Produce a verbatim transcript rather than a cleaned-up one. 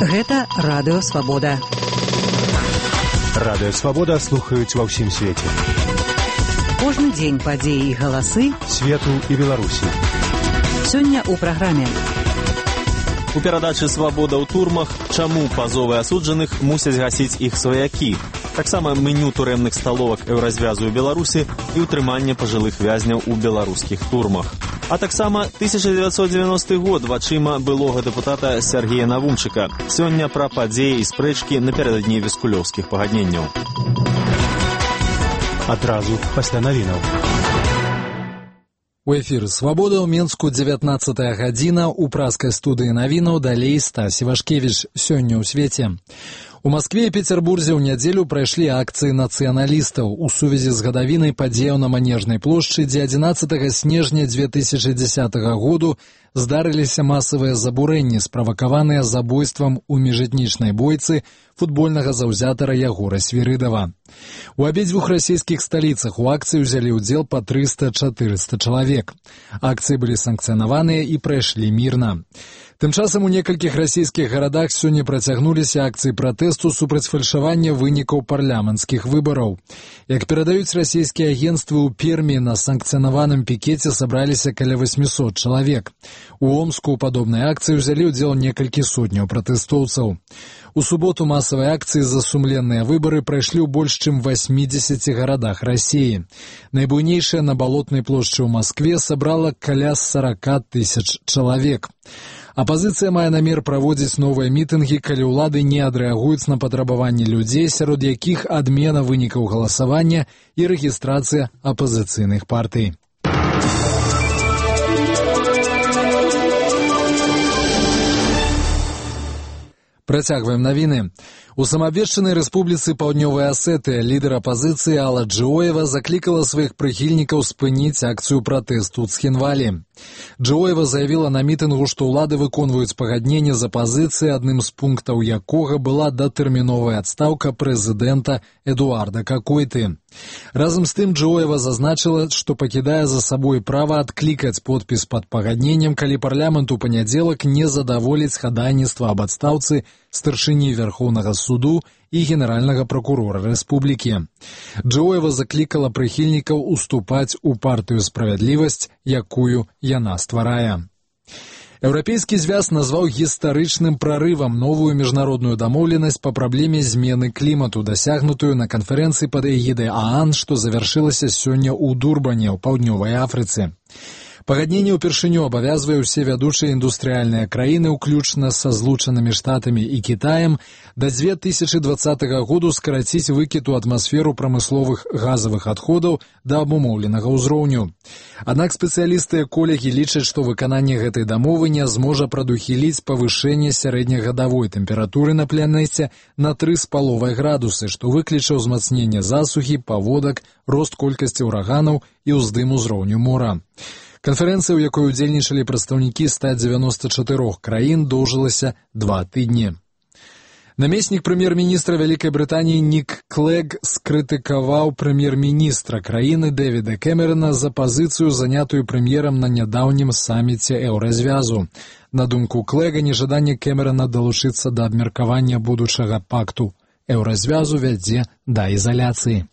Гэта Радыё Свабода. Радыё Свабода слухаюць ва ўсім свеце. Кожны дзень падзеі і галасы свету і Беларусі. Сёння ў праграме. У перадачы «Свабода ў турмах» чаму пазовы асуджаных мусяць гасіць іх сваякі. Таксама меню турэмных сталовак еўразвязу ў Беларусі і ўтрыманне пажылых вязняў у беларускіх турмах. А таксама тысяча дзевяцьсот дзевяносты год вачыма былога дэпутата Сергея Навумчыка. Сёння пра падзеі і спрэчкі напярэдадні віскулёўскіх пагадненняў. Адразу пасля навінаў. У эфіры «Свабода» ў Менску дзевятнаццатая гадзіна, у праскай студыі навінаў далей Стась Івашкевіч. Сёння ў свеце. У Маскве і Петербурзе ў нядзелю прайшлі акцыі нацыяналістаў у сувязі з гадавінай падзеяў на Манежнай плошчы, дзе адзінаццатага снежня дзве тысячы дзесятага году здарыліся масавыя забурэнні, справакаваныя забойствам у міжэтнічнай бойцы футбольнага заўзятара Ягора Свірыдава. У абедзвюх расійскіх сталіцах у акцыі ўзялі ўдзел па трыста-чатырыста чалавек. Акцыі былі санкцыянаваныя і прайшлі мірна. Тым часам у некалькіх расійскіх гарадах сёння працягнуліся акцыі пратэсту супраць фальшавання вынікаў парламенцкіх выбараў. Як перадаюць расійскія агенцтвы, у Пермі на санкцыянаваным пікеце сабраліся каля восьмісот чалавек. У Омску ў падобнай акцыі ўзялі ўдзел некалькі сотняў пратэстоўцаў. У суботу масавыя акцыі за сумленныя выбары прайшлі ў больш чым васьмідзесяці гарадах Расіі. Найбуйнейшая на Балотнай плошчы ў Маскве сабрала каля сарака тысяч чалавек. Апазіцыя мае намер праводзіць новыя мітынгі, калі ўлады не адрэагуюць на патрабаванні людзей, сярод якіх адмена вынікаў галасавання і рэгістрацыя апазіцыйных партый. Працягваем навіны. У самаабвешчанай рэспубліцы Паўднёвая Асетыя лідар апазіцыі Алла Джиоева заклікала сваіх прыхільнікаў спыніць акцыю пратэсту ў Цхінвалі. Джиоева заявіла на мітынгу, што ўлады выконваюць пагадненне з апазіцыяй, адным з пунктаў якога была датэрміновая адстаўка прэзідэнта Эдуарда Какойты. Разам з тым Джиоева зазначыла, што пакідае за сабой права адклікаць подпіс пад пагадненнем, калі парламент у панядзелак не задаволіць хадайніцтва аб адстаўцы старшыні Верхоўнага суду і генеральнага пракурора рэспублікі. Джиоева заклікала прыхільнікаў уступаць у партыю «Справядлівасць», якую яна стварае. Еўрапейскі звяз назваў гістарычным прарывам новую міжнародную дамоўленасць па праблеме змены клімату, дасягнутую на канферэнцыі пад эгідай ААН, што завяршылася сёння ў Дурбане, ў Паўднёвай Афрыцы. Пагадненне ўпершыню абавязвае ўсе вядучыя індустрыяльныя краіны, уключна са Злучанымі Штатамі і Кітаем, да дзве тысячы дваццатага году скараціць выкід у атмасферу прамысловых газавых адходаў да абумоўленага ўзроўню. Аднак спецыялісты эколагі лічаць, што выкананне гэтай дамовы не зможа прадухіліць павышэнне сярэднегадавой тэмпературы на планеце на тры з паловай градусы, што выкліча ўзмацненне засухі, паводак, рост колькасці ўраганаў і ўздым узроўню мора. Канферэнцыя, у якой удзельнічалі прадстаўнікі ста дзевяноста чатырох краін, доўжылася два тыдні. Намеснік прэм'ер-міністра Вялікай Брытаніі Нік Клэг скрытыкаваў прэм'ер-міністра краіны Дэвіда Кэмерана за пазіцыю, занятую прэм'ерам на нядаўнім саміце еўразвязу. На думку Клэга, нежаданне Кэмерана далучыцца да абмеркавання будучага пакту еўразвязу вядзе да ізаляцыі.